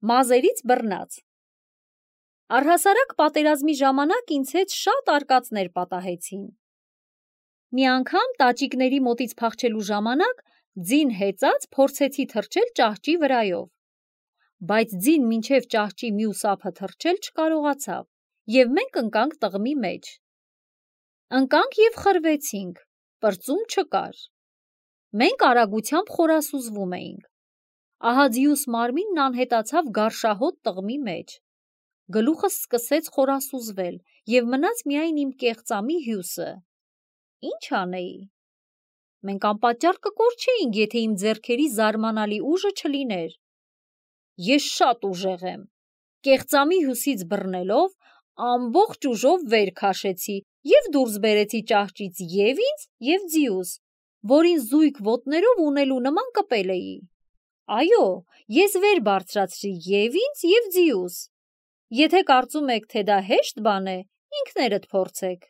Մազերից բռնած։ Առհասարակ պատերազմի ժամանակ ինձ հետ շատ արկածներ պատահեցին։ Մի անգամ տաճիկների մոտից փախչելու ժամանակ ձին հեծած փորձեցի թռչել ճահճի վրայով, բայց ձին մինչև ճահճի մյուս ափը թռչել չկարողացավ, և մենք ընկանք տղմի մեջ։ Ընկանք և խրվեցինք, պրծում չկար։ Մենք արագությամբ խորասուզվում էինք։ Ահաձիուս մարմինն անհետացավ գարշահոտ տղմի մեջ։ Գլուխս սկսեց խորասուզվել և մնաց միայն իմ կեղծամի հյուսը։ Ինչ անեի։ Մենք անպատճառ կկորչեինք, եթե իմ ձեռքերի զարմանալի ուժը չլիներ։ Ես շատ ուժեղ եմ։ Կեղծամի հյուսից բռնելով, ամբողջ ուժով վեր քաշեցի և դուրս բերեցի ճահճից և ինձ, և ձիուս, որին զույգ ոտներով ունելու նման կպել էի։ Այո, ես վեր բարձրացրի և ինձ, և ձիուս։ Եթե կարծում եք, թե դա հեշտ բան է, ինքներդ փորձեք։